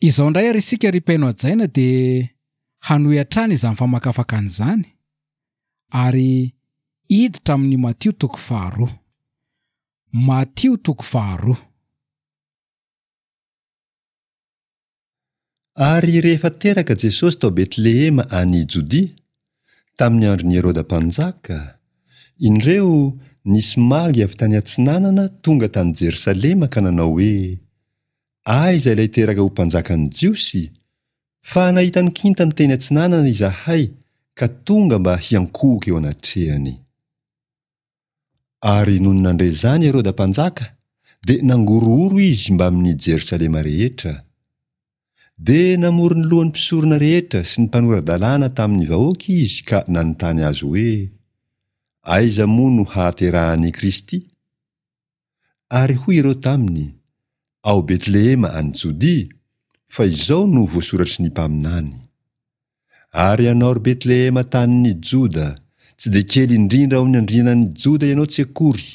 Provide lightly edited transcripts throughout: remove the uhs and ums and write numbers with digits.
Izao indray ary isika ry mpihaino hajaina dia hanohy hatrany izany famakafakana izany ary hiditra amin'ny Matio toko faharoa. Matio toko faharoa. Ary rehefa teraka Jesosy tao Betlehema any Jodia, tamin'ny andron'i Heroda mpanjaka, indreo nisy magy avy tany atsinanana tonga tany Jerosalema ka nanao hoe, Aiza ilay teraka ho mpanjakan'ny Jiosy? Fa nahita ny kintany teny atsinanana izahay ka tonga mba hiankohoka eo anatrehany. Ary nony nandre izany Heroda mpanjaka, dia nangorohoro izy mbamin'i Jerosalema rehetra. Dia namory ny lohan'ny mpisorona rehetra sy ny mpanora-dalàna tamin'ny vahoaka izy ka nanontany azy hoe, Aiza moa no hahaterahan'i Kristy? Ary hoy ireo taminy, Ao Betlehema any Jodia, fa izao no voasoratry ny mpaminany, Ary ianao ry Betlehema tanin'i Joda, tsy dia kely indrindra ao amin'ny andrianan'i Joda ianao tsy akory,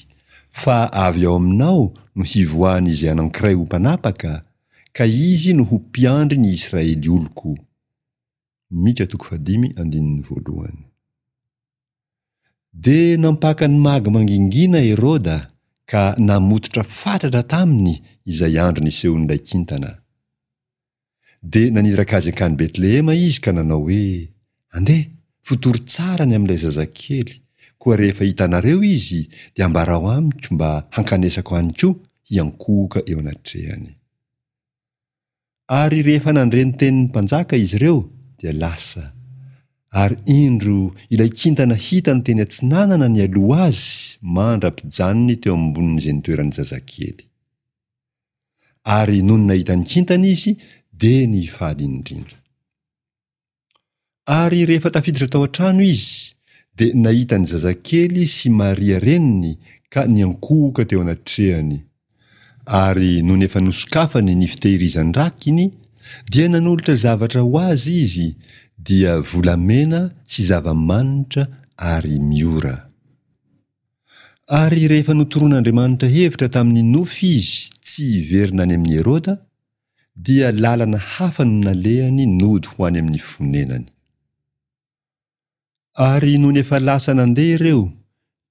fa avy ao aminao no hivoahan'izay anankiray ho mpanapaka, ka izy no ho mpiandry ny Israely oloko. Mika toko fahadimy andininy voalohany. Dia nampaka ny magy mangingina Heroda ka namototra fatratra taminy izay andro nisehoan'ilay kintana. Dia naniraka azy hankany Betlehema izy ka nanao hoe, Andeha, fotory tsara ny amin'ilay zazakely, koa rehefa hitanareo izy, dia ambarao amiko mba hankanesako any koa hiankohoka eo anatrehany. Ary rehefa nandre ny tenin'ny mpanjaka izy ireo, dia lasa. Ary indro ilay kintana hitany teny atsinanana nialoha azy mandra-pijanony teo ambonin'izay nitoeran'ny zazakely. Ary nony nahita ny kintana izy, dia nifaly indrindra. Ary rehefa tafiditra tao an-trano izy, dia nahita ny zazakely sy Maria reniny ka niankohoka teo anatrehany. Ary nony efa nosokafany ny fitehirizan-drakiny, dia nanolotra zavatra ho azy izy, dia volamena sy zava-manitra ary miora. Ary rehefa notoroan'Andriamanitra hevitra tamin'ny nofy izy tsy hiverina any amin'i Heroda, dia lalana hafa no nalehany nody ho any amin'ny fonenany. Ary nony efa lasa nandeha ireo,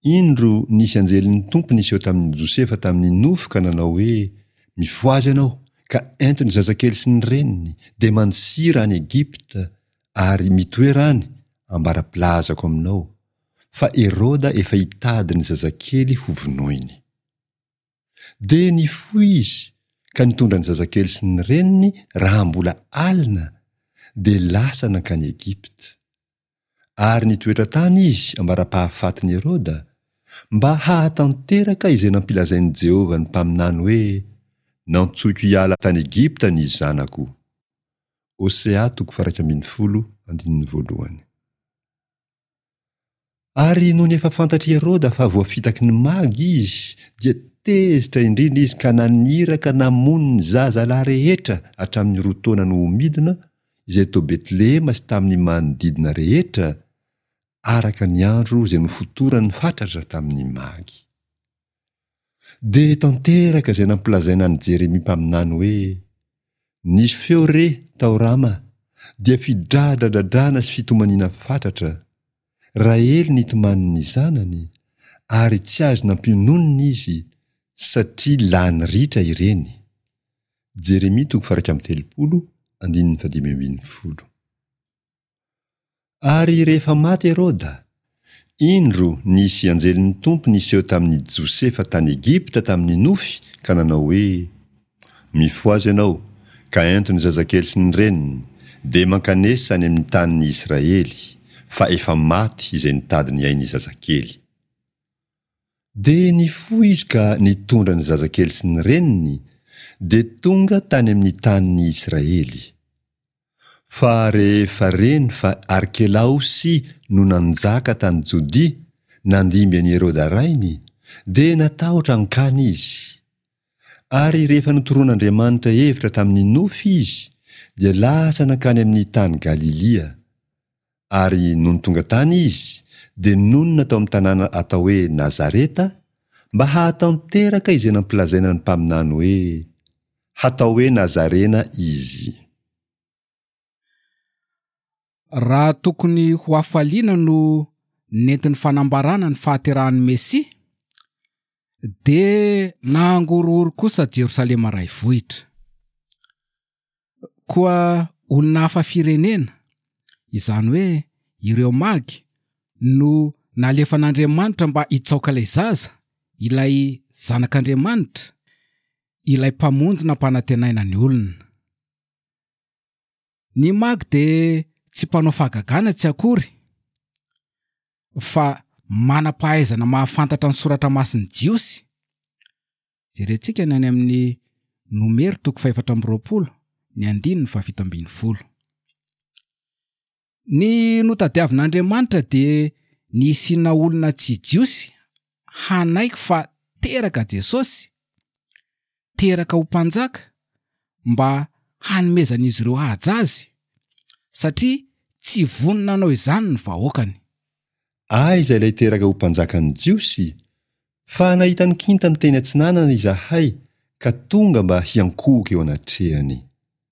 indro nisy anjelin'ny Tompo niseho tamin'i Josefa tamin'ny nofy ka nanao hoe, Mifohaza ianao, ka ento ny zazakely sy ny reniny, dia mandosira any Egypta, ary mitoera any, ambara-pilazako aminao, fa Heroda efa hitady ny zazakely ho vonoiny. Dia nifoha izy ka nitondra ny zazakely sy ny reniny raha mbola alina, dia lasa nankany Egypta. Ary nitoetra tany izy ambara-pahafatin'i Heroda, mba hahatanteraka izay nampilazain'i Jehovah ny mpaminany hoe, Nantsoiko hiala tany Egypta ny zanako. Hosea toko faha 11 andininy voalohany. Ary nony efa fantatr'i Heroda fa voafitaky ny magy izy, dia tezitra indrindra izy ka naniraka namono ny zazalahy rehetra hatramin'ny roa taona no ho midina, izay tao Betlehema sy tamin'ny manodidina rehetra, araka ny andro izay nofotorany fatratra tamin'ny magy. Dia tanteraka izay nampilazaina an'i Jeremia mpaminany hoe, Nisy feo re tao Rama, dia fidradradradrana sy fitomaniana fatratra. Rahely nitomany ny zanany, ary tsy azo nampiononina izy, satria lany ritra ireny. Jeremia toko faha 31, andininy fahadimy ambin'ny folo. Ary rehefa maty Heroda, indro nisy anjelin'ny Tompo niseho tamin'i Josefa tany Egypta tamin'ny nofy ka nanao hoe, Mifohaza ianao, ka ento ny zazakely sy ny reniny, dia mankanesa any amin'ny tanin'ny Israely, fa efa maty izay nitady ny ain'ny zazakely. Dia nifoha izy ka nitondra ny zazakely sy ny reniny, dia tonga tany amin'ny tanin'ny Israely. Fa rehefa reny fa Arkelaosy no nanjaka tany Jodia, nandimby an'i Heroda rainy, dia natahotra hankany izy. Ary rehefa notoroan'Andriamanitra hevitra tamin'ny nofy izy, dia lasa nankany amin'ny tany Galilia. Ary nony tonga tany izy, dia nonina tao amin'ny tanàna atao hoe Nazareta, mba hahatanteraka izay nampilazaina ny mpaminany hoe, Hatao hoe Nazarena izy. Raha tokony ho hafaliana no nentin'ny fanambarana ny fahaterahan'ny Mesia, dia nangorohoro kosa Jerosalema iray vohitra. Koa olona hafa firenena, izany hoe ireo Magy, no nalefan'Andriamanitra mba hitsaoka ilay zaza, ilay Zanak'Andriamanitra, ilay Mpamonjy nampanantenaina ny olona. Ny Magy dia tsy mpanao fahagagana tsy akory, fa manam-pahaizana mahafantatra ny soratra masin'ny Jiosy. Jerentsika ny any amin'ny Nomery toko fahefatra amby 20, ny andininy faha-17. Ny notadiavin'Andriamanitra dia ny hisiana olona tsy Jiosy hanaiky fa teraka Jesosy, teraka ho mpanjaka, mba hanomezan'izy ireo haja azy, satria tsy vonona hanao izany ny vahoakany. Aiza ilay teraka ho mpanjakan'ny Jiosy? Fa nahita ny kintany teny atsinanana izahay ka tonga mba hiankohoka eo anatrehany.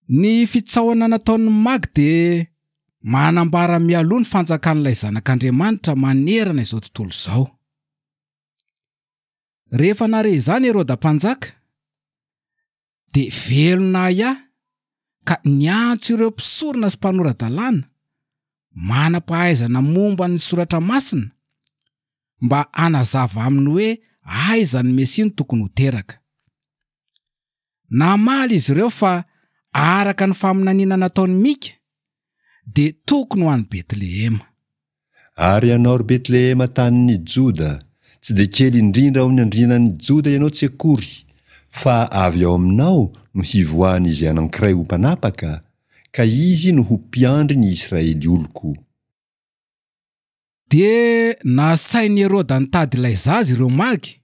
Ny fitsaohana nataon'ny Magy dia manambara mialoha ny fanjakan'ilay Zanak'Andriamanitra manerana izao tontolo izao. Rehefa nahare izany Heroda Mpanjaka, dia velona ahiahy ka niantso ireo mpisorona sy mpanora-dalàna manam-pahaizana momba ny Soratra Masina mba hanazava aminy hoe aiza ny Mesia no tokony ho teraka. Namaly izy ireo fa araka ny faminaniana nataon'i Mika, dia tokony ho any Betlehema. Ary ianao, ry Betlehema tanin'i Joda, tsy dia kely indrindra ao amin'ny andrianan'i Joda ianao tsy akory, fa avy ao aminao no hivoahan'izay anankiray ho mpanapaka, ka izy no ho mpiandry ny Israely oloko. Dia nasain'i Heroda nitady ilay zaza ireo Magy,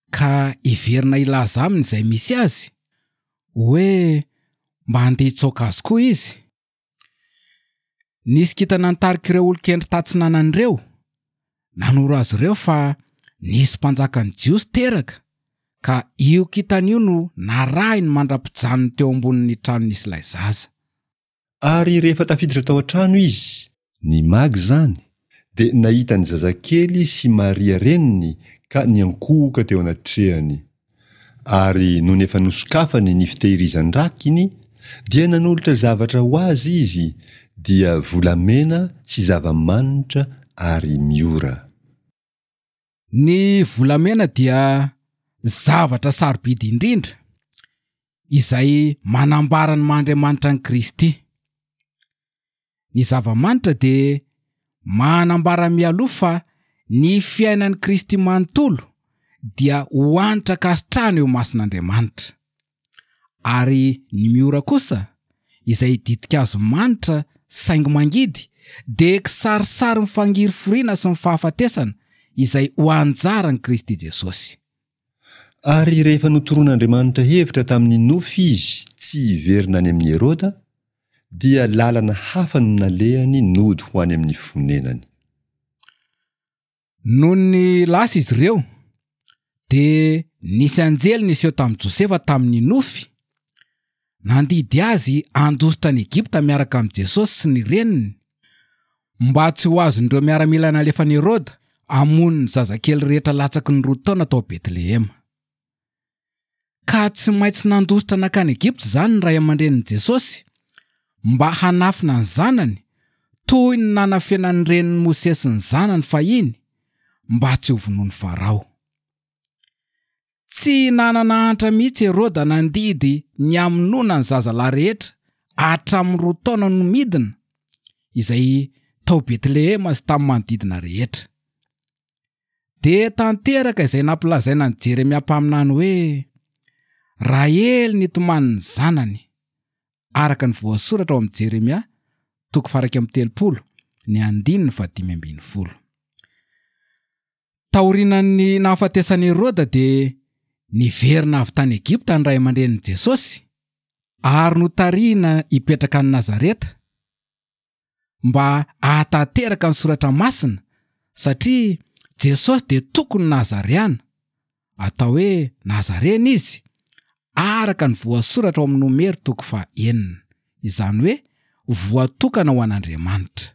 ka hiverina hilaza aminy izay misy azy, hoe mba handeha hitsaoka azy koa izy. Nisy kintana nitarika ireo olon-kendry tatsinanana ireo, nanoro azy ireo fa nisy mpanjakan'ny Jiosy teraka, ka io kintana io no narahiny mandra-pijanony teo ambonin'ny trano nisy ilay zaza. Ary rehefa tafiditra tao an-trano izy, ny Magy izany, dia nahita ny zazakely sy Maria reniny ka niankohoka teo anatrehany. Ary nony efa nosokafany ny fitehirizan-drakiny, dia nanolotra zavatra ho azy izy, dia volamena sy zava-manitra ary miora. Ny volamena dia zavatra sarobidy indrindra izay manambara ny maha Andriamanitra an'i Kristy. Ny zava-manitra dia manambara mialoha fa ny fiainan'i Kristy manontolo dia ho hanitra ankasitrahana eo imason'Andriamanitra. Ary ny miora kosa, izay ditin-kazo manitra saingy mangidy, dia kisarisarin'ny fangirifiriana sy ny fahafatesana izay ho anjaran'i Kristy Jesosy. Ary rehefa notoroan'Andriamanitra hevitra tamin'ny nofy izy tsy hiverina any amin'i Heroda, dia lalana hafa no nalehany nody ho any amin'ny fonenany. Nony lasa izy ireo, dia nisy anjely niseho tamin'i Josefa tamin'ny nofy, nandidy azy handositra an'i Egypta miaraka amin'i Jesosy sy ny reniny, mba tsy ho azon'ireo miaramila nalefan'i Heroda hamono ny zazakely rehetra latsaky ny roa taona tao Betlehema. Ka tsy maintsy nandositra nankany Egypta izany ny ray aman-drenin'i Jesosy mba hanafina ny zanany, toy ny nanafenan'ny renin'i Mosesy ny zanany fahiny mba tsy hovonoin'i Farao. Tsy nanana antra mihitsy Heroda nandidy ny hamonoana ny zazalahy rehetra hatramin'ny roa taona no midina, izay tao Betlehema sy tamin'ny manodidina rehetra. Dia tanteraka izay nampilazaina an'i Jeremia mpaminany hoe, Rahely nitomany ny zanany, araka ny voasoratra ao amin'i Jeremia, toko faha-31, ny andininy faha-15. Taorianan'ny nahafatesan'i Heroda dia niverina avy tany Egypta ny ray aman-drenin'i Jesosy ary notarihina hipetraka any Nazareta, mba hahatanteraka ny soratra masina satria Jesosy dia tokony Nazareana, atao hoe Nazarena izy, araka ny voasoratra ao amin'ny Nomery toko faha-enina, izany hoe voatokana ho an'Andriamanitra.